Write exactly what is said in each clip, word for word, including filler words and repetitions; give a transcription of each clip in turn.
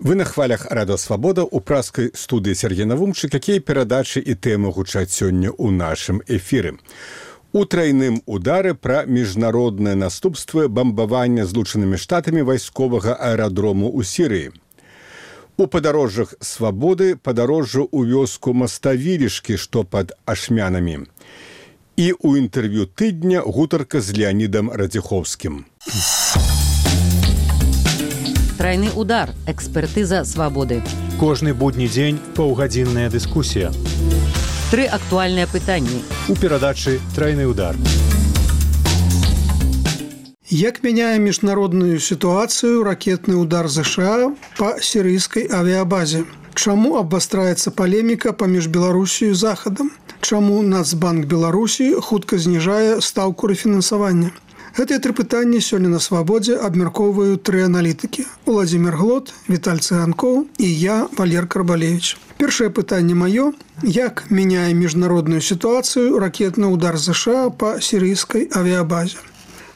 Вы на хвалях Радио Свабода у праскай студыі Сергей Навумчык, якія перадачы і тэмы гучаць сёння ў нашым эфіры. У трайным удары пра міжнародныя наступствы бамбавання Злучанымі Штатамі вайсковага аэрадрому ў Сірыі. У падарожжах Свабоды падарожжу ў вёску Маставілішкі, што пад Ашмянамі. І ў інтэрв'ю тыдня гутарка з Леанідам Радзіхоўскім. Трайны удар. Экспертыза Свабоды. Кожны будні дзень паўгадзінная дыскусія. Тры актуальныя пытанні. У перадачы «Трайны удар». Як мяняе міжнародную сітуацыю ракетны удар ЗША па сірыйскай авіабазе? Чаму абвастраецца палеміка паміж Беларусію і Захадам? Чаму Нацбанк Беларусі хутка зніжае стаўку рэфінансавання? Гэтыя тры пытанні сёння на Свабодзе абмяркоўваюць тры аналітыкі. Уладзімір Глот, Віталь Цыганкоў і я, Валер Карбалевіч. Першае пытанне маё. Як мяняе міжнародную сітуацыю ракетны удар ЗША па сірыйскай авіабазе?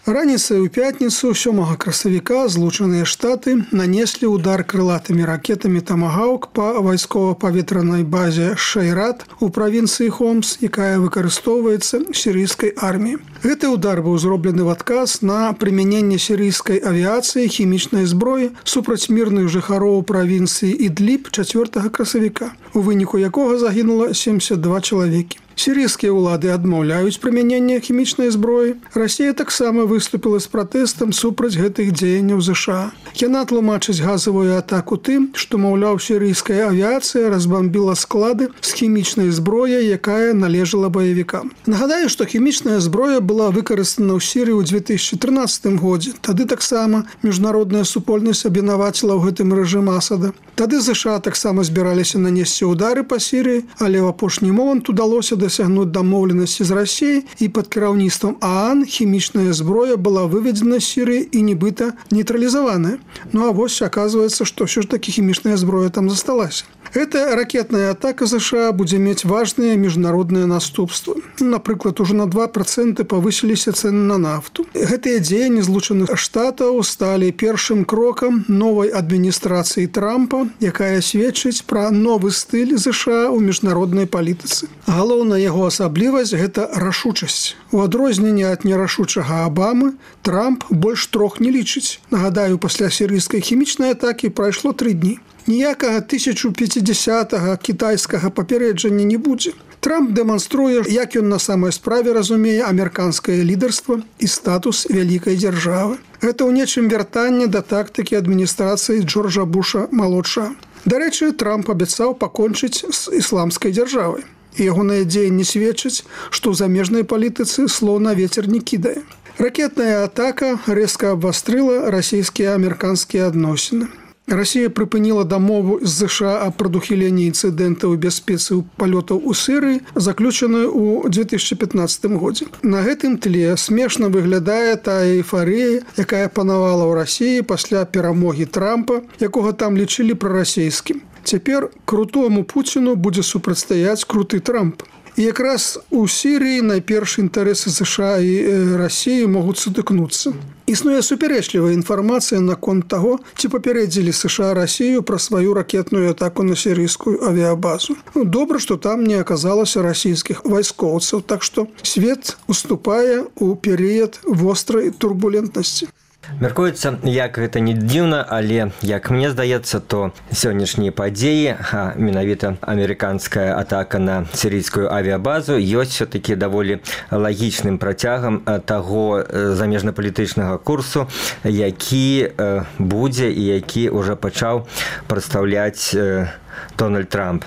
Раніцай у пятніцу сёмага красавіка Злучаныя Штаты нанеслі удар крылатымі ракетамі «Тамагаўк» па вайскова-паветранай базе Шайрат у правінцыі Хомс, якая выкарыстоўваецца сірыйскай арміяй. Гэты удар быў зроблены в адказ на прымяненне сірыйскай авіяцыі хімічнай зброі супраць мірных жыхароў правінцыі Ідліб чацвёртага красавіка, у выніку якога загінула семьдесят два чалавекі. Сірыйскія ўлады адмаўляюць прымяненне хімічнай зброі. Расія таксама выступіла з пратэстам супраць гэтых дзеянняў ЗША. Яна тлумачыць газавую атаку тым, што, маўляў, сірыйская авіяцыя разбамбіла склады з хімічнай зброяй, якая належала баевікам. Нагадаю, што хімічная зброя была выкарыстана ў Сірыі ў две тысячы трынаццатым годзе. Тады таксама міжнародная супольнасць абвінаваціла ў гэтым рэжым Асада. Тады ЗША таксама збіраліся нанесці ўдары па Сірыі, але ў апошні момант удалося дасягнуць дамоўленасці з Расіяй, і пад кіраўніцтвам ААН хімічная зброя была выведзена з Сірыі і нібыта нейтралізаваная. Ну а вось аказваецца, што ўсё ж такі хімічная зброя там засталася. Эта ракетная атака ЗША будзе мець важныя міжнародныя наступствы. Напрыклад, ужо на два працэнты павысіліся цэны на нафту. Гэтыя дзеянні Злучаных Штатаў сталі першым крокам новай адміністрацыі Трампа, якая сведчыць пра новы стыль ЗША ў міжнароднай палітыцы. Галоўная яго асаблівасць – гэта рашучасць. У адрозненне ад нерашучага Абамы, Трамп больш трох не лічыць. Нагадаю, пасля сірыйскай хімічнай атакі прайшло тры дні. Ніякага тысяча пяцідзясятага кітайскага папярэджання не будзе. Трамп дэманструе, як ён на самай справе разумее амерыканскае лідарства і статус вялікай дзяржавы. Гэта ў нечым вяртанне да тактыкі адміністрацыі Джорджа Буша-малодшага. Дарэчы, Трамп абяцаў пакончыць з ісламскай дзяржавай. І ягоныя дзеянні сведчаць, што ў замежнай палітыцы слоў на вецер не кідае. Ракетная атака рэзка абвастрыла расійскія амерыканскія адносіны. Расія прыпыніла дамову з ЗША аб прадухіленні інцыдэнтаў бяспецы палётаў у Сірыі, заключаную ў две тысячы пятнаццатым годзе. На гэтым тле смешна выглядае тая эйфарыя, якая панавала ў Расіі пасля перамогі Трампа, якога там лічылі прарасійскім. Цяпер крутому Пуціну будзе супрацьстаяць круты Трамп. І якраз у Сірыі найперш інтарэсы ЗША і Расіі могуць сутыкнуцца. Існуе супярэчлівая інфармацыя наконт таго, ці папярэдзілі ЗША Расію пра сваю ракетную атаку на сірыйскую авіабазу. Добра, што там не аказалася расійскіх вайскоўцаў, так што свет уступае ў перыяд вострай турбулентнасці. Мяркуецца, як гэта не дзіўна, але, як мне здаецца, то сённяшнія падзеі, а менавіта амерыканская атака на сірыйскую авіабазу, ёсць все-таки даволі лагічным працягам таго замежнапалітычнага курсу, які будзе і які ўжо пачаў прадстаўляць Дональд Трамп,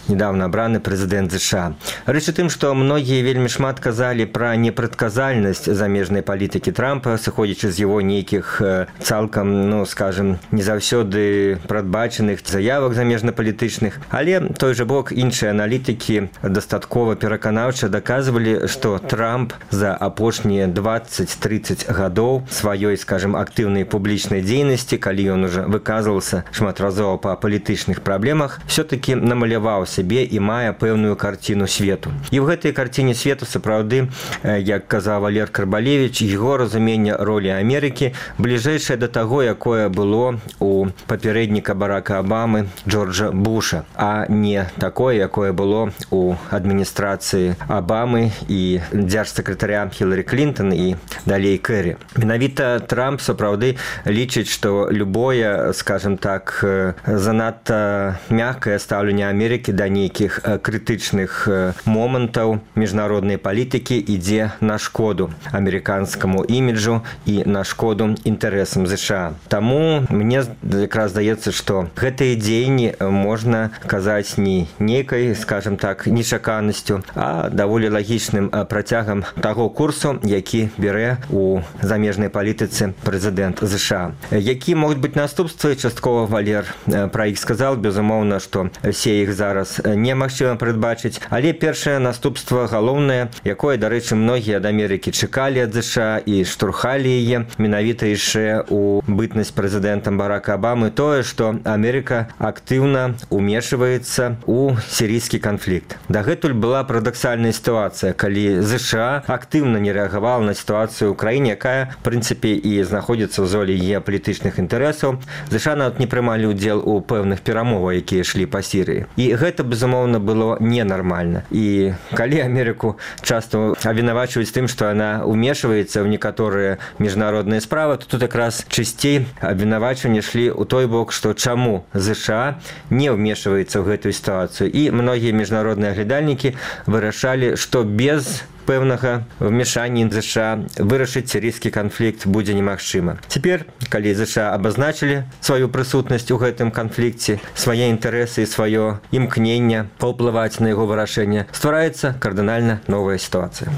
недавно абраны прэзідэнт ЗША. Рэч у тым, што многія вельмі шмат казалі пра непрадказальнасць замежнай палітыкі Трампа, сыходзячы з яго нейкіх цалкам, ну, скажем, не заўсёды прадбачаных заявак замежнапалітычных. Але той жа бок іншыя аналітыкі дастаткова пераканаўча даказвалі, што Трамп за апошнія дваццаць-трыццаць гадоў сваёй, скажем, актыўнай публічнай дзейнасці, калі ён ужо выказваўся шматразова па палітычных праблемах, все-таки намаляваў сабе і мае пэўную карціну свету. І ў гэтай карціне свету сапраўды, як казаў Валер Карбалевіч, яго разуменне ролі Амерыкі бліжэйшае да таго, якое было у папярэдніка Барака Абамы Джорджа Буша, а не такое, якое было у адміністрацыі Абамы і дзяржсакратаря Хіларі Клінтон і далей Кэрі. Менавіта Трамп сапраўды лічыць, што любое, скажем так, занадта мяккае стаўленне Амерыкі да нейкіх крытычных момантаў міжнароднай палітыкі ідзе на шкоду амерыканскаму іміджу і на шкоду інтарэсам ЗША. Таму мне якраз здаецца, што гэтыя дзеянні можна казаць не нейкай, скажем так, нечаканасцю, а даволі лагічным працягам таго курсу, які бярэ у замежнай палітыцы прэзідэнт ЗША. Які могуць быць наступствы, часткова Валер пра іх сказал, безумоўна, што все іх зараз немагчыма прадбачыць, але першае наступства галоўнае, якое, дарэчы, многія ад Амерыкі чакалі ад ЗША і штурхалі яе, менавіта яшчэ у бытнасць прэзідэнтам Барака Абамы, тое, што Амерыка актыўна умешваецца у сірійскі канфлікт. Дагэтуль была парадаксальная сітуацыя, калі ЗША актыўна не рэагавала на сітуацыю ў краіне, якая, в прынцыпе, і знаходзіцца ў золі геапалітычных інтарэсаў. ЗША нават не прымалі ўдзел у пэўных перамовах, якія ішлі па Сірыі. І гэта, безумоўна, было ненармальна. І калі Амерыку часто абвінавачваюць тым, што яна умешваецца ў некаторыя міжнародныя справы, то тут якраз часцей абвінавачванні ішлі ў той бок, што чаму ЗША не ўмешваецца ў гэтую сітуацыю. І многія міжнародныя аглядальнікі вырашалі, што без пэўнага вмешання ЗША вырашыць сірійскі канфлікт будзе немагчыма. Цяпер, калі ЗША абазначылі сваю прысутнасць у гэтым канфлікце, свае інтарэсы і сваё імкненне паўплываць на яго вырашэнне, ствараецца кардынальна новая сітуацыя.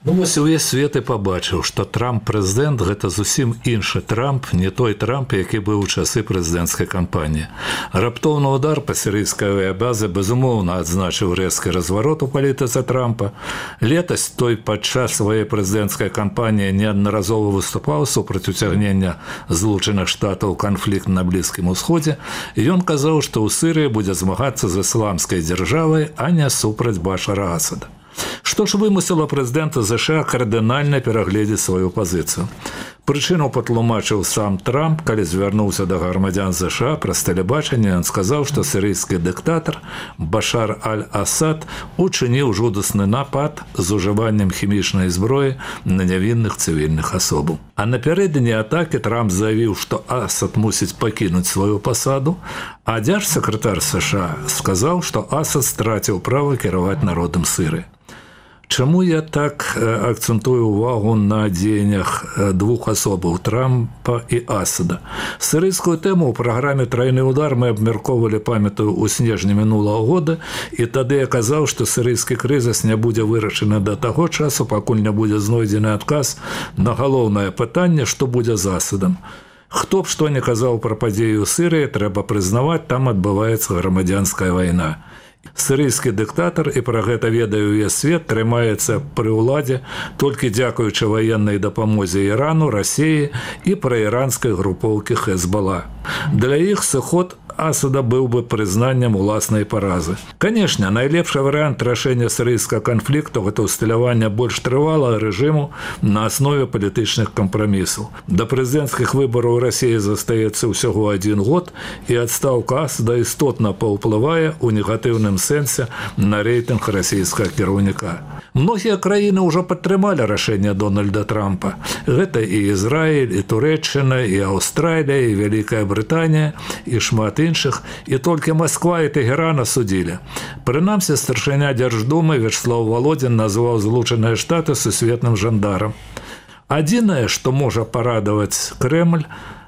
Ну, вось увесь свет і пабачыў, што Трамп-прэзідэнт – гэта зусім іншы Трамп, не той Трамп, які быў у часы прэзідэнцкай кампаніі. Раптоўны удар па сірыйскай авіябазе безумоўна адзначыў рэзкі разварот у палітыцы Трампа. Летась той падчас сваёй прэзідэнцкай кампаніі неаднаразова выступаў супраць уцягнення Злучаных Штатаў канфлікт на Блізкім Усходзе, і ён казаў, што ў Сірыі будзе змагацца з ісламскай дзяржавай, а не супраць Башара Асада. Што ж вымусіла прэзідэнта ЗША кардынальна перагледзець сваю пазіцыю? Прычыну патлумачыў сам Трамп, калі звярнуўся да грамадзян ЗША праз тэлебачанне, ён сказаў, што сірыйскі дыктатар Башар аль-Асад учыніў жудасны напад з ужываннем хімічнай зброі на нявінных цывільных асобаў. А напярэдадні атакі Трамп заявіў, што Асад мусіць пакінуць сваю пасаду, а дзяржсакратар США сказаў, што Асад страціў права кіраваць народам Сірыі. Чаму я так акцэнтую увагу на дзеяннях двух асобаў – Трампа і Асада? Сірыйскую тэму ў праграме «Трайны удар» мы абмяркоўвалі, памятаю, у снежні мінулага года, і тады я казаў, што сірыйскі крызіс не будзе вырашаны да таго часу, пакуль не будзе знойдзены адказ на галоўнае пытанне, што будзе з Асадам. Хто б што не казаў пра падзею ў Сірыі, трэба прызнаваць, там адбываецца грамадзянская вайна. Сірыйскі дыктатар, і пра гэта ведае ўвесь свет, трымаецца пры ўладзе толькі дзякуючы ваеннай дапамозе Ірану, Расіі і праіранскай групоўкі Хезбала. Для іх сыход Асада быў бы прызнаннем уласнай паразы. Канешне, найлепшы варыянт рашэння сірыйскага канфлікту – гэта ўсталяванне больш трывалага рэжыму на аснове палітычных кампрамісаў. Да прэзідэнцкіх выбараў Расіі застаецца ўсяго адзін год, і адстаўка Асада істотна паўплывае ў негатыўным сэнсе на рэйтынг расійскага кіраўніка. Многія краіны ўжо падтрымалі рашэнне Дональда Трампа. Гэта і Ізраіль, і Турэччына, і Аўстралія, і Вялікая Брытанія, і шмат іншых, і толькі Масква і Тэгеран асудзілі. Прынамсі, старшыня Дзярждумы Вячеслав Володин назваў Злучаныя Штаты сусветным жандарам. Адзінае, што можа парадаваць Крэмль,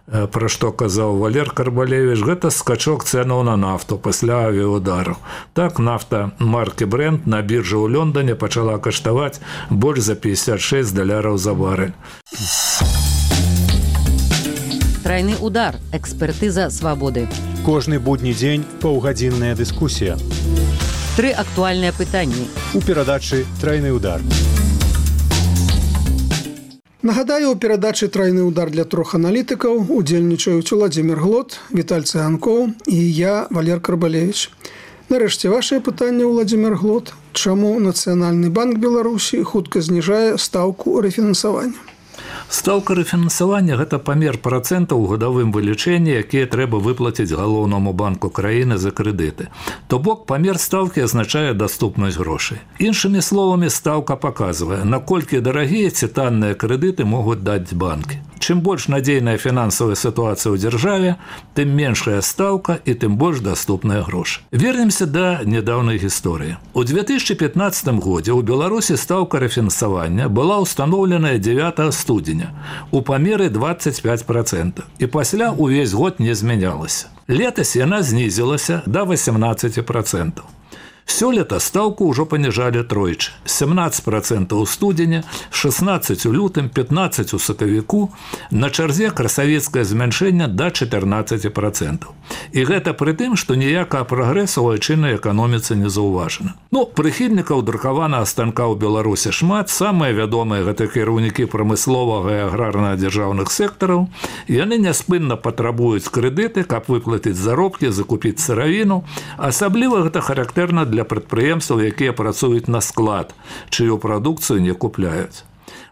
пра што казаў Валер Карбалевіч, гэта скачок цэнаў на нафту пасля авіаудару. Так, нафта маркі Брент на біржы ў Лондоне пачала каштаваць больш за пятьдесят шесть даляраў за барэль. Трайны удар. Экспертыза свабоды. Кожны будні дзень паўгадзінная дыскусія. Тры актуальныя пытанні. У перадачы «Трайны удар». Нагадаю, у перадачы «Трайны удар» для трох аналітыкаў удзельнічаюць Уладзімір Глот, Віталь Цыганкоў і я, Валер Карбалевіч. Нарэшце вашае пытанне, Владимир Глот. Чаму Нацыянальны банк Беларусі хутка зніжае стаўку рэфінансавання? Стаўка рэфінансавання – гэта памер працэнтаў у гадавым вылічэнні, якія трэба выплаціць галоўнаму банку краіны за крэдыты. То бок памер стаўкі азначае даступнасць грошай. Іншымі словамі, стаўка паказвае, наколькі дарагія ці танныя крэдыты могуць даць банкі. Чым больш надзейная фінансавая сітуацыя ў дзяржаве, тым меншая стаўка і тым больш даступныя грошы. Вернемся да нядаўнай гісторыі. У две тысячи пятнадцатым годзе ў Беларусі стаўка рэфінансавання была ўстаноўленая дзевятага студзеня у памеры двадцать пять процентов і пасля ўвесь год не змянялася. Летась яна знізілася да восемнадцать процентов. Сёлета стаўку ўжо паніжалі тройчы. семнадцать процентов у студзеня, шестнадцать у лютым, пятнадцать у сакавіку, на чарзе красавецкае змяншэнне да четырнадцать процентов. І гэта пры тым, што ніякага прагрэсу ў айчыннай эканоміцы не заўважана. Ну, прыхільнікаў друкаванага станка ў Беларусі шмат, самыя вядомыя гэта кіраўнікі прамысловага і аграрна-дзяржаўных сектараў. Яны няспынна патрабуюць крэдыты, каб выплаціць заробкі, закупіць сыравіну. Асабліва гэта характэрна для прадпрыемстваў, якія працуюць на склад, чыю прадукцыю не купляюць.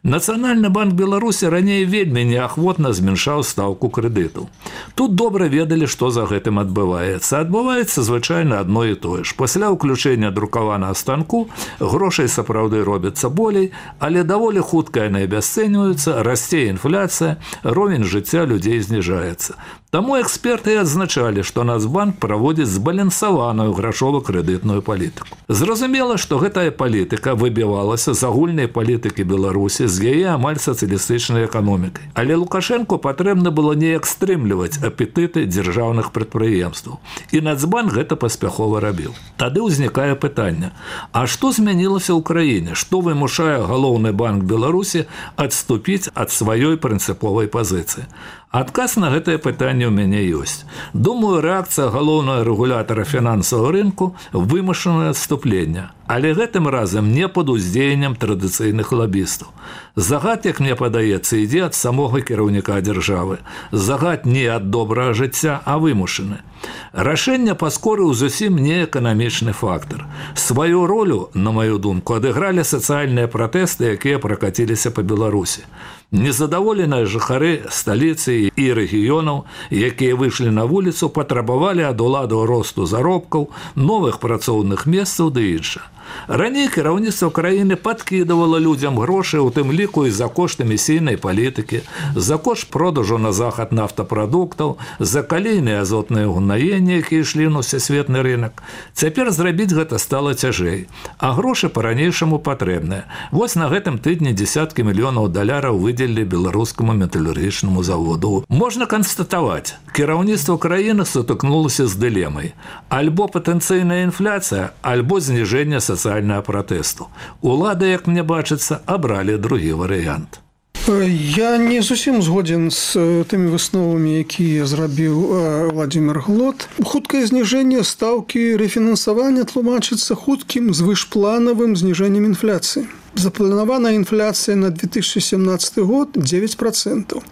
Нацыянальны банк Беларусі раней вельмі неахвотна змяншаў стаўку крэдытаў. Тут добра ведалі, што за гэтым адбываецца. Адбываецца звычайна адно і тое ж. Пасля ўключэння друкаванага станку грошай сапраўды робіцца болей, але даволі хутка яны абясцэньваюцца, расце інфляцыя, ровень жыцця людзей зніжаецца. Таму эксперты адзначалі, што Нацбанк праводзіць збалансаваную грашова-крэдытную палітыку. Зразумела, што гэтая палітыка выбівалася з агульнай палітыкі Беларусі, з яе амаль сацыялістычнай эканомікай. Але Лукашэнку патрэбна было неяк стрымліваць апетыты дзяржаўных прадпрыемстваў. І Нацбанк гэта паспяхова рабіў. Тады ўзнікае пытанне: а што змянілася ў краіне? Што вымушае галоўны банк Беларусі адступіць ад сваёй прынцыповай пазіцыі? Адказ на гэтае пытанне ў мяне ёсць. Думаю, рэакцыя галоўнага рэгулятара фінансавага рынку – вымушанае адступленне. Але гэтым разам не пад уздзеяннем традыцыйных лабістаў. Загад, як мне падаецца, ідзе ад самога кіраўніка дзяржавы. Загад не ад добрага жыцця, а вымушаны. Рашэнне паскорыў зусім не эканамічны фактар. Сваю ролю, на маю думку, адыгралі сацыяльныя пратэсты, якія пракаціліся па Беларусі. Незадаволеныя жыхары сталіцы і рэгіёнаў, якія выйшлі на вуліцу, патрабавалі ад уладаў росту заробкаў, новых працоўных месцаў ды іншых. Раней кіраўніцтва краіны падкідавала людзям грошы, у тым ліку і за кошт эмісійнай палітыкі, за кошт продажу на захад нафтапрадуктаў, за калійныя азотныя ўгнаенні, якія ішлі на ўсесветны рынок. Цяпер зрабіць гэта стала цяжэй, а грошы па-ранейшаму патрэбныя. Вось на гэтым тыдні дзесяткі мільёнаў даляраў выдзелілі беларускаму металургічнаму заводу. Можна канстатаваць, кіраўніцтва краіны сутыкнулася з дылемай: альбо патэнцыйная інфляцыя, альбо зніжэнне сацыяльнага пратэсту. Улады, як мне бачыцца, абралі другі варыянт. Я не зусім згоден з тымі высновамі, якія зрабіў Владимир Глот. Хуткае зніжэнне стаўкі рэфінансавання тлумачыцца хуткім звышпланавым зніжэннем інфляцыі. Запланаваная інфляцыя на две тысячи семнадцатый год девять процентов,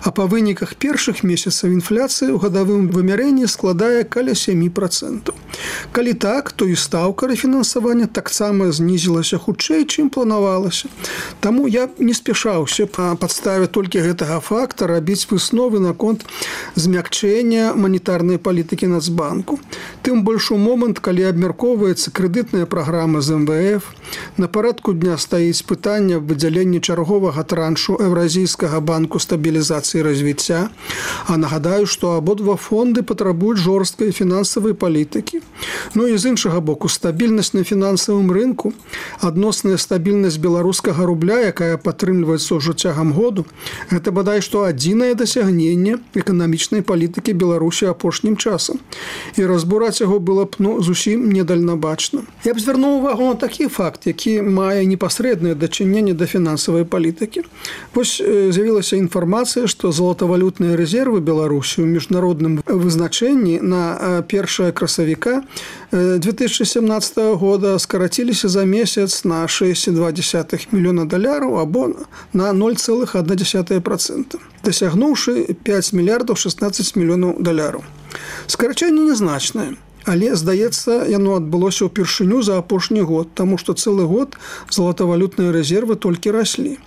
а па выніках першых месяцаў інфляцыя ў гадавым вымярэнні складае каля сем процентов. Калі так, то і стаўка рэфінансавання таксама знізілася хутчэй, чым планавалася. Таму я не спяшаўся па падставе толькі гэтага факта рабіць высновы наконт змякчэння манетарнай палітыкі Нацбанку. Тым больш у момант, калі абмяркоўваецца крэдытная праграма з эм вэ эф, на парадку дня стаіць пытанне аб выдзяленні чарговага траншу Еўразійскага банку стабілізацыі і развіцця. А нагадаю, што абодва фонды патрабуюць жорсткай фінансавай палітыкі. Ну і з іншага боку, стабільнасць на фінансавым рынку, адносная стабільнасць беларускага рубля, якая падтрымліваецца ўжо цягам году, гэта бадай што адзінае дасягненне эканамічнай палітыкі Беларусі апошнім часам. І разбураць яго было б ну, зусім недальнабачна. Я б звярнуў увагу на такі факт, які мае непасрэднае дачыненне да фінансавай палітыкі. Вось з'явілася інфармацыя, што золатавалютныя рэзервы Беларусі ў міжнародным вызначэнні на першае красавіка две тысячи семнадцатого года скараціліся за месяц на шесть целых два десятых мільёна даляраў або на ноль целых одна десятая процента, дасягнуўшы пять мільярдаў шестнадцать мільёнаў даляраў. Скарачэнне незначнае, Але, здаецца, яно адбылося ўпершыню за апошні год, таму што цэлы год золатавалютныя рэзервы толькі раслі.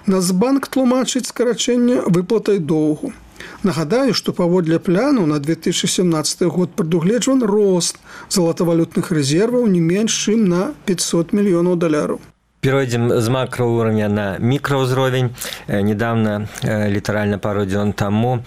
Нацбанк тлумачыць скарачэнне выплатай доўгу. Нагадаю, што паводле пляну на две тысячи семнадцаты год прадугледжван рост золатавалютных рэзерваў не менш чым на пятьсот мільёнаў даляраў. Перейдем с макроуровня на микроуровень. Недавно, литерально пару дней тому,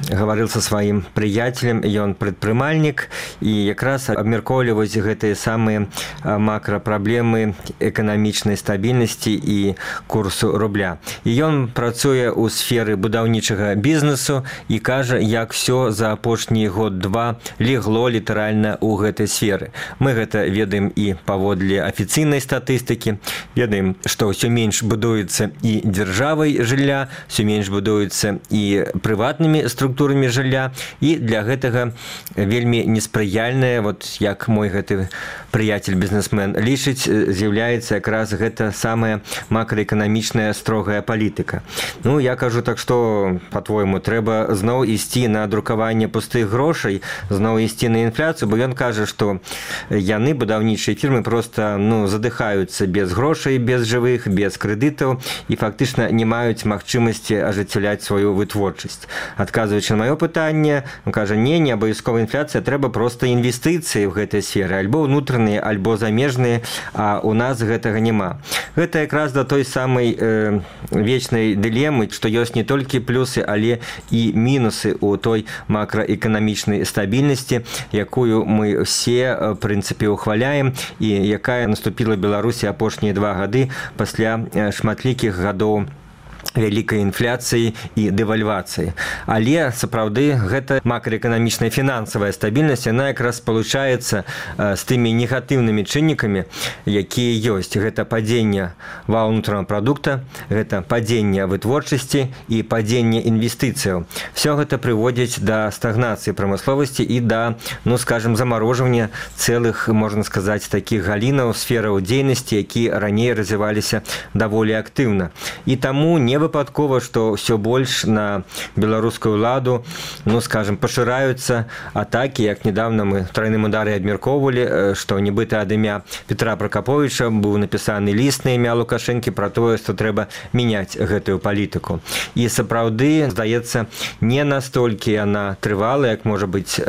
говорил со своим приятелем, и он предпринимальник, и как раз обмерковывать эти самые макропроблемы экономичной стабильности и курсу рубля. И он працуе у сферы будаўнічага бизнесу и каже, як все за апошні год-два легло литерально у гэтай сферы. Мы это ведаем и паводле официальной статистики, ведаем, что все меньше будуется и державой жилья, все меньше будуется и приватными структурами, структурамі жылля, і для гэтага вельмі неспрыяльная, вот як мой гэты прыяцель бізнесмен лічыць, з'яўляецца якраз гэта самая макраэканамічная строгая палітыка. Ну, я кажу так, што, па-твойму, трэба зноў ісці на друкаванне пустых грошай, зноў ісці на інфляцыю, бо ён кажа, што яны, будаўнічыя фірмы, проста ну, задыхаюцца без грошай, без жывых, без крэдытаў і фактычна не маюць магчымасці ажыццяўляць сваю вытворчасць. Адказваючы на маё пытанне, он кажа, не, не абавязкова інфляцыя, трэба проста інвестыцыі ў гэтай сферы, альбо ўнутраныя, альбо замежныя, а у нас гэтага няма. Гэта якраз да той самай э, вечнай дылемы, што ёсць не толькі плюсы, але і мінусы ў той макраэканамічнай стабільнасці, якую мы все, в прынцыпе, ухваляем, і якая наступіла Беларусі апошнія два гады пасля шматлікіх гадоў вялікай інфляцыі і дэвальвацыі. Але, сапраўды, гэта макраэканамічная фінансавая стабільнасць, яна якраз спалучаецца з тымі негатыўнымі чыннікамі, якія ёсць. Гэта падзенне валовага ўнутранага прадукта, гэта падзенне вытворчасці і падзенне інвестыцыяў. Все гэта прыводзіць да стагнацыі прамысловасці і да, ну, скажем, замарожвання цэлых, можна сказаць, такіх галінаў, сфераў дзейнасці, якія раней развіваліся даволі актыўна. І таму не выпадкова, што ўсё больш на беларускую ўладу, ну, скажем, пашыраюцца атакі, як недавно мы в трайным ударе абмяркоўвалі, што нібыта ад імя Петра Пракаповіча быў напісаны ліст на імя Лукашэнкі пра тое, што трэба мяняць гэтую палітыку. І сапраўды, здаецца, не настолькі яна трывала, як, можа быць,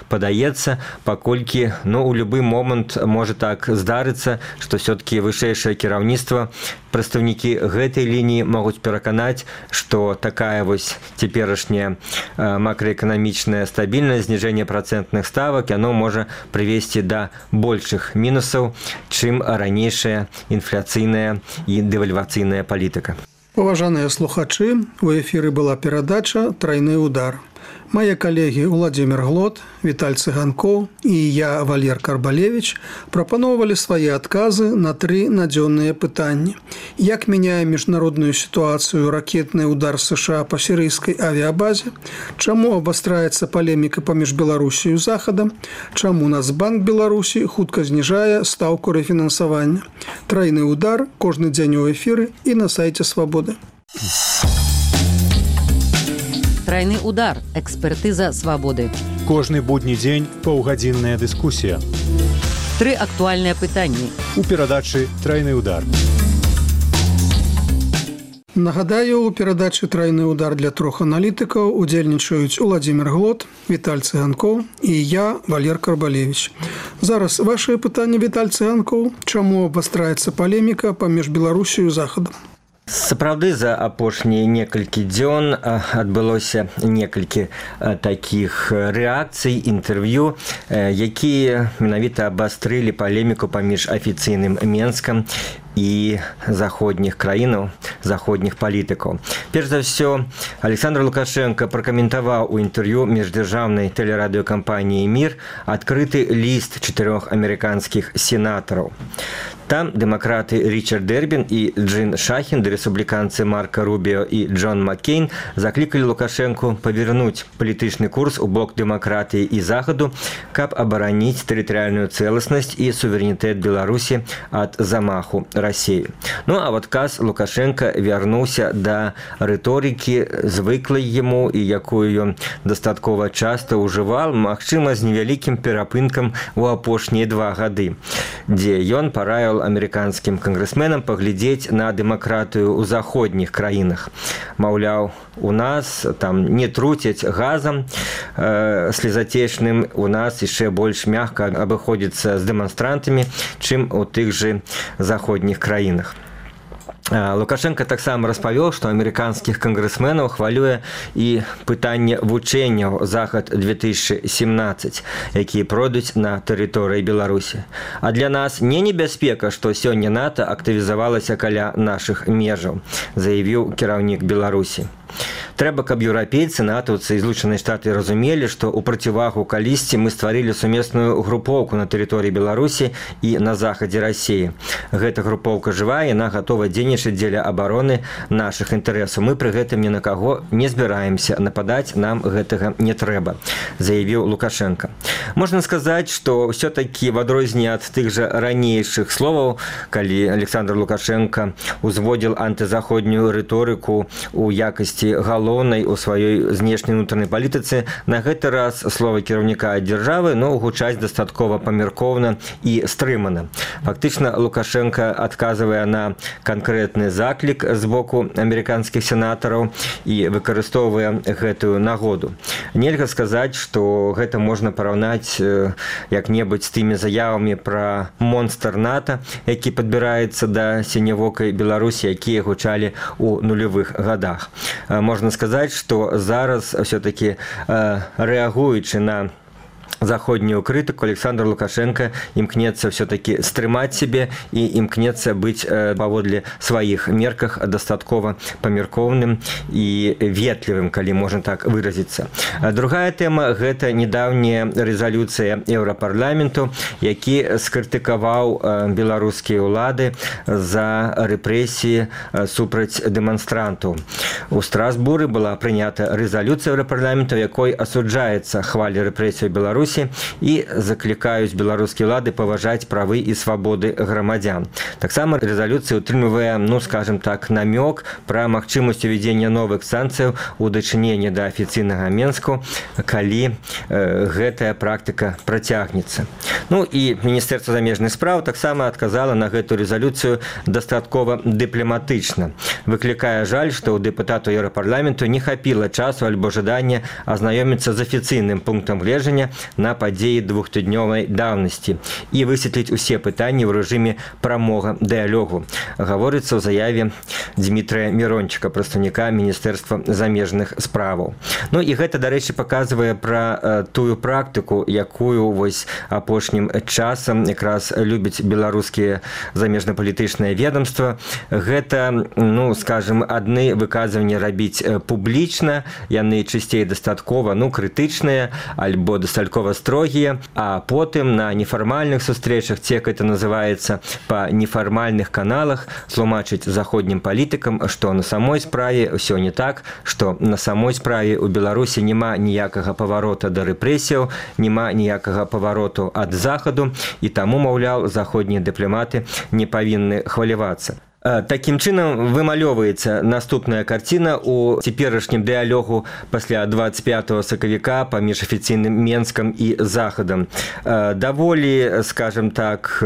падаецца, паколькі, ну, у любы момант можа так здарыцца, што все-таки вышэйшае кіраўніцтва, прадстаўнікі гэтай лініі могуць пераканаць, што такая вось цяперашняя макраэканамічная стабільнасць, зніжэнне працэнтных ставак, яно можа прывесці да большых мінусаў, чым ранейшая інфляцыйная і дэвальвацыйная палітыка. Паважаныя слухачы, у эфіры была перадача «Трайны удар». Мои коллеги Владимир Глот, Виталь Цыганков и я, Валер Карбалевич, прапановывали свои отказы на три надзённыя пытанні. Як мяняе международную ситуацию ракетный удар США по сирийской авиабазе, чаму абвастраецца полемика паміж Беларусью и Захадом, чаму Нацбанк Беларуси хутка знижае ставку рефинансования. Трайны удар кожны дзень у эфиры и на сайте Свободы. Трайны удар. Экспертыза свабоды. Кожны будні дзень паўгадзінная дыскусія. Тры актуальныя пытанні. У перадачы «Трайны удар». Нагадаю, у перадачы «Трайны удар» для трох аналітыкаў удзельнічаюць Владимир Глот, Виталь Цыганков і я, Валер Карбалевич. Зараз вашыя пытанні, Виталь Цыганков. Чаму абвастраецца палеміка паміж Беларусію і Захадам? Сапраўды, за апошнія некалькі дзён адбылося некалькі такіх рэакцый, інтэрв'ю, якія менавіта абастрылі палеміку паміж афіцыйным Менскам і заходніх краінаў, заходніх палітыкаў. Перш за ўсё, Александр Лукашенко пракаментаваў у інтэрв'ю міждзяржаўнай тэлерадыёкампаніі «Мір» адкрыты ліст чатырох амерыканскіх сенатараў. Там дэмакраты Ричард Дербін і Джин Шахін, рэспубліканцы Марка Рубіо і Джон Маккейн заклікалі Лукашенку павярнуць палітычны курс у бок дэмакратыі і Захаду, каб абараніць тэрытарыяльную цэласнасць і суверэнітэт Беларусі ад замаху России. Ну, а в отказ Лукашенко вярнуўся да рыторыкі звыклай яму і якую ён дастаткова часта ўжывал, магчыма, з невялікім перапынкам у апошнія два гады, дзе ён параіў амерыканскім кангрэсменам паглядзець на дэмакратыю ў заходніх краінах. Маўляў, у нас там не труцяць газам э, слезатечным, у нас яшчэ больш мякка абыходзіцца з дэманстрантамі, чым у тых жа заходніх краінах. Лукашенко таксама распавёў, што амерыканскіх кангрэсменаў хвалюе і пытанне вучэнняў захад две тысячи семнадцать, якія пройдуць на тэрыторыі Беларусі. А для нас не небяспека, што сёння НАТО актывізавалася каля нашых межаў, заявіў кіраўнік Беларусі. Трэба, каб еўрапейцы, натаўцы і Злучаныя Штаты разумелі, што ў процівагу калісьці мы стварылі сумесную групоўку на тэрыторыі Беларусі і на захадзе Расіі. Гэта групоўка жывая, яна гатова дзейнічаць дзеля абароны нашых інтарэсаў. Мы пры гэтым ні на каго не збіраемся, нападаць нам гэтага не трэба, заявіў Лукашенко. Можна сказаць, што ўсё-такі в адрозненне ад тых жа ранейшых словаў, калі Александр Лукашенко узводзіл антызаходнюю рыторыку у якасці галоўнай у сваёй знешняй унутранай палітыцы, на гэты раз словы кіраўніка дзяржавы, но гучаць дастаткова памяркоўна і стрымана. Фактычна, Лукашенко адказвае на канкрэтны заклік з боку амерыканскіх сенатараў і выкарыстоўвае гэтую нагоду. Нельга сказаць, што гэта можна параўнаць як-небудзь з тымі заявамі пра монстр НАТО, які падбіраецца да сінявокай Беларусі, якія гучалі ў нулявых гадах. Можна сказаць, што зараз все-таки рэагуючы на заходнюю крытыку, Александр Лукашенко імкнецца все-таки стрымаць себе і імкнецца быць паводле сваіх мерках дастаткова памяркоўным і ветлівым, калі можна так выразіцца. Другая тэма – гэта недаўняя рэзалюцыя Еўрапарламенту, які скрытыкаваў беларускія ўлады за рэпрэсіі супраць дэманстрантаў. У Страсбуры была прынята рэзалюцыя Еўрапарламенту, якой асуджаецца хваля рэпрэсій Беларусі і заклікаюць беларускія ўлады паважаць правы і свабоды грамадзян. Таксама рэзалюцыя утрымлівае, ну, скажем так, намёк пра магчымасць увядзення новых санкцыяў у дачыненні да афіцыйнага Менску, калі э, гэтая практыка працягнецца. Ну і Міністэрства замежных спраў таксама адказала на гэту рэзалюцыю дастаткова дыпламатычна. Выклікае жаль, што ў дэпутату Еўрапарламенту не хапіла часу альбо жадання азнаёміцца з афіцыйным пунктам гледжання на падзеі двухтыднёвай даўнасці і высветліць усе пытанні ў рэжыме прамога дыялогу, гаворыцца ў заяве Дмітрыя Мірончыка, прадстаўніка Міністэрства замежных справаў. Ну і гэта, дарэчы, паказвае пра э, тую практыку, якую вось апошнім часам якраз любяць беларускія замежна-палітычныя ведомства. Гэта, ну, скажем, адны выказванні рабіць публічна, яны чысцей дастаткова, ну, крытычныя, альбо дастаткова строгія, а потым на нефармальных сустрэчах, ці як это называецца, па нефармальных каналах тлумачыць заходнім палітыкам, што на самой справе ўсё не так, што на самой справе ў Беларусі няма ніякага паварота да рэпрэсіяў, няма ніякага павароту ад захаду, і таму, маўляў, заходнія дыпламаты не павінны хвалявацца. Такім чынам вымалёваецца наступная карціна ў цяперашнім дыялогу пасля двадцать пятого сакавіка паміж афіцыйным Менскам і захадам. Даволі, скажем так,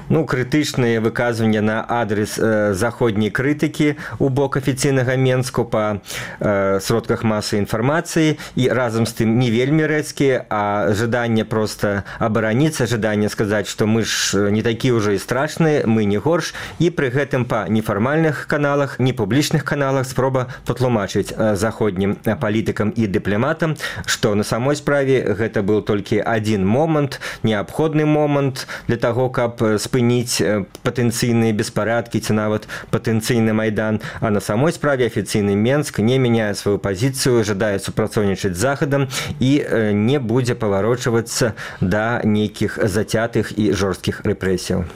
ну, крытычныя выказванні на адрес заходняй крытыкі ў бок афіцыйнага Менску па сродках масавай інфармацыі і разам з тым не вельмі рэзкія, а жаданне проста абараніцца, жаданне сказаць, што мы ж не такі ўжо і страшныя, мы не горш, і пры гэтым па нефармальных каналах, непублічных каналах спроба патлумачыць заходнім палітыкам і дыпламатам, што на самой справе гэта быў толькі адзін момант, неабходны момант для таго, каб спыніць патэнцыйныя беспарадкі ці нават патэнцыйны майдан, а на самой справе афіцыйны Менск не мяняе сваю пазіцыю, жадае супрацоўнічаць з захадам і не будзе паварочвацца да нейкіх зацятых і жорсткіх рэпрэсіяў.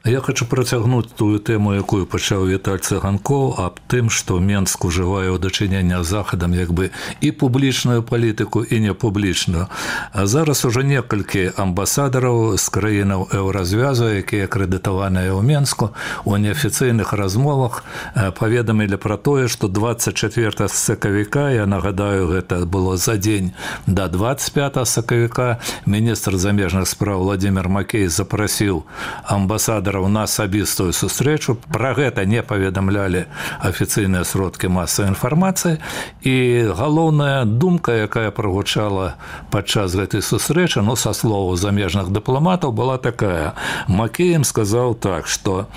Я хочу працягнуць тую тэму, якую пачаў Віталь Цыганкоў, аб тым, што Менск ужывае ў дачыненні з Захадам як бы і публічную палітыку, і непублічную. А зараз ужо некалькі амбасадараў з краінаў Еўразвязу, якія акрэдытаваныя ў Менску, у неафіцыйных размовах паведамілі пра тое, што дваццаць чацвёртага сакавіка, я нагадаю, гэта было за дзень да дваццаць пятага сакавіка, міністр замежных спраў Владзімір Макей запрасіў амбасадараў на асабістую сустрэчу. Пра гэта не паведамлялі афіцыйныя сродкі масавай інфармацыі. І галоўная думка, якая прагучала падчас гэтай сустрэчы, ну, са словаў замежных дыпламатаў, была такая. Макей ім сказаў так, што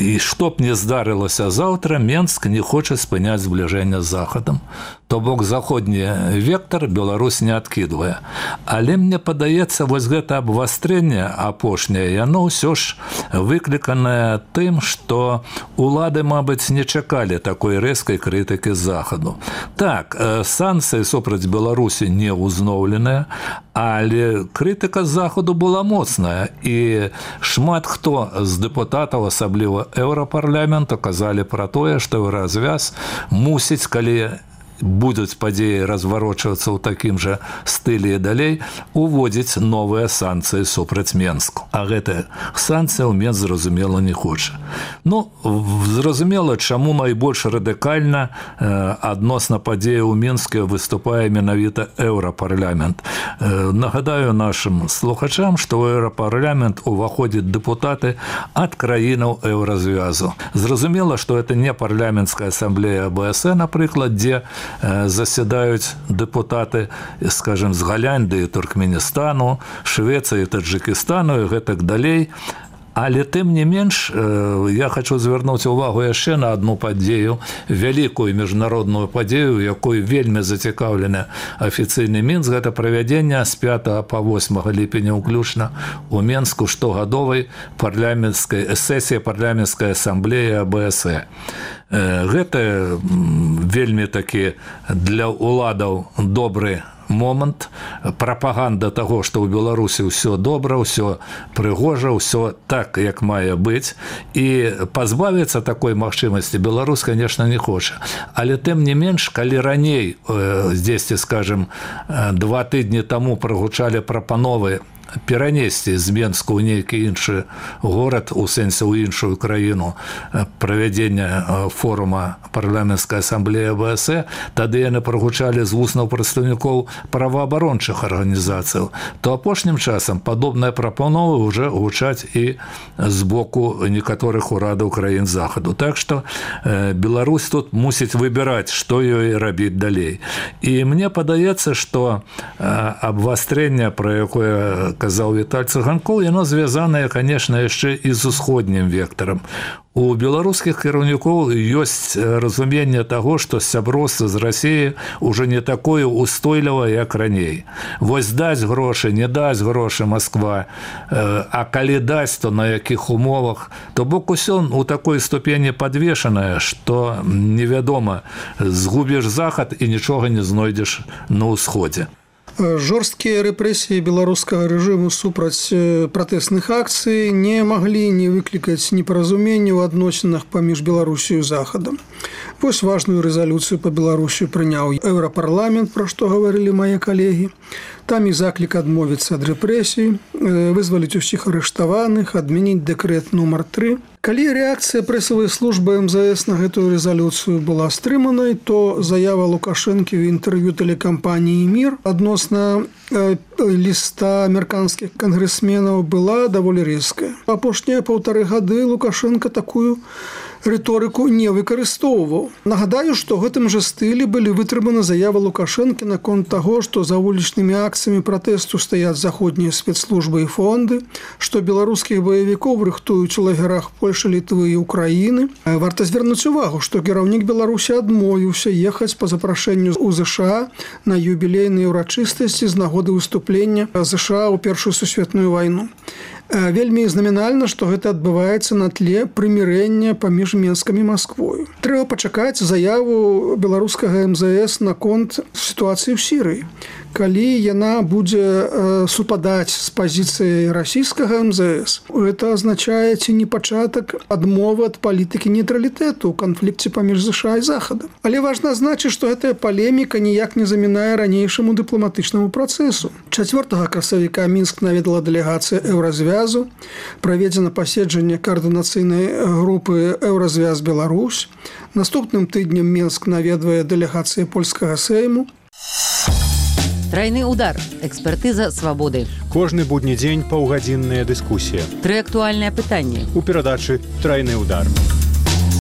і што б не здарылася заўтра, Менск не хоча спыняць збліжэнне з Захадам. То бок заходні вектор Беларусь не адкідвае. Але мне падаецца, вось гэта абвастрэнне апошняе, яно ўсё ж выкліканае тым, што улады, мабыць, не чакалі такой рэзкай крытыкі з Захаду. Так, санкцыі супраць Беларусі не ўзноўленыя, але крытыка з Захаду была моцная, і шмат хто з дэпутатаў, асабліва Еўрапарламенту, казалі пра тое, што Еўразвяз мусіць, калі будуць падзеі разварочвацца ў такім жа стылі і далей, уводзіць новыя санкцыі супраць Менску. А гэтыя санкцыі ў Менск, зразумела, не хоча. Ну, зразумела, чаму найбольш радыкальна адносна падзеі ў Менске выступае менавіта Еўрапарламент. Нагадаю нашым слухачам, што ў Еўрапарламент уваходзяць дэпутаты ад краінаў Еўразвязу. Зразумела, што гэта не парламенцкая асамблея АБС, напрыклад, дзе заседаюць дэпутаты, скажем, з Галяндыі, Туркменістану, Швецыі, Таджикістану і гэтак далей. Але тым не менш, я хочу звярнуць увагу яшчэ на одну падзею, вялікую міжнародную падзею, якой вельмі зацікаўлены афіцыйны Мінск. Гэта правядзенне з пятага па восьмага ліпеня ўключна у Менску штогадовай парламенцкай сесіі парламенцкай асамблеі АБС. Гэта вельмі такі для ўладаў добры момант, прапаганда таго, што ў Беларусі ўсё добра, ўсё прыгожа, ўсё так, як мае быць. І пазбавіцца такой магчымасці Беларусь, конечно, не хоча. Але тым не менш, калі раней, здесьці, скажем, два тыдні таму прагучалі прапановы перанесці з Менску ў нейкі іншы горад, у сэнсе ў іншую краіну, правядзення форума парламенцкай асамблеі АБС, тады яны прагучалі з вуснаў прадстаўнікоў праваабарончых арганізацыяў, то апошнім часам падобныя прапановы ўжо гучаць і з боку некаторых урадаў краін Захаду. Так што Беларусь тут мусіць выбіраць, што ёй рабіць далей. І мне падаецца, што абвастрэнне, пра якое казаў Віталь Цыганкоў, яно звязанае, конечно, яшчэ і з усходнім вектарам. У беларускіх кіраўнікоў ёсць разуменне таго, што сяброўства з Расіяй уже не такое устойлівае, як раней. Вось даць грошы, не даць грошы Москва, а калі даць, то на якіх умовах, то бок усё у такой ступені падвешанае, што невядома, згубіш Захад і нічога не знойдзеш на ўсходзе. Жорсткія рэпрэсіі беларускага рэжыму супраць пратэсных акцый не маглі не выклікаць непаразуменне ў адносінах паміж Беларусію і Захадам. Вось важную рэзалюцыю па Беларусі прыняў Еўрапарламент, пра што гаварылі мае калегі. Там і заклік адмовіцца ад рэпрэсій, вызваліць усіх арыштаваных, адмяніць дэкрэт нумар тры. Калі рэакцыя прэсавай службы эм зэ эс на гэтую рэзалюцыю была стрыманай, то заява Лукашэнкі ў інтэрв'ю тэлекампаніі «Мір» адносна ліста амерыканскіх кангрэсменаў была даволі рэзкая. Апошнія паўтары гады Лукашенко такую рыторыку не выкарыстоўваў. Нагадаю, што гэтым жа стылі былі вытрыманы заявы Лукашэнкі наконт таго, што за вулічнымі акцыямі пратэсту стаяць заходнія спецслужбы і фонды, што беларускіх баевікоў рыхтуюць у лагерах Польшы, Літвы і Украіны. Варта звярнуць увагу, што кіраўнік Беларусі адмовіўся ехаць па запрашэнню ў ЗША на юбілейныя ўрачыстасці з нагоды выступлення ЗША ў Першую сусветную вайну. Вельмі знамінальна, што гэта адбываецца на тле прымірэння паміж Менскам і Масквою. Трэба пачакаць заяву беларускага эм зэ эс наконт сітуацыі ў Сірыі. калі яна будзе супадаць з пазіцыяй расійскага эм зэ эс. Гэта азначае ці не пачатак адмовы ад палітыкі нейтралітэту ў канфлікце паміж ЗША і Захадам. Але важна азначыць, што гэтая палеміка ніяк не замінае ранейшаму дыпламатычнаму працэсу. чацвёртага красавіка Мінск наведала дэлегацыя Еўразвязу, праведзена паседжанне каардынацыйнай групы Еўразвяз Беларусь. Наступным тыднем Мінск наведвае дэлегацыя польскага сейму. Трайны удар. Экспертыза свабоды. Кожны будні дзень паўгадзінная дыскусія. Тры актуальныя пытанні. У перадачы «Трайны удар».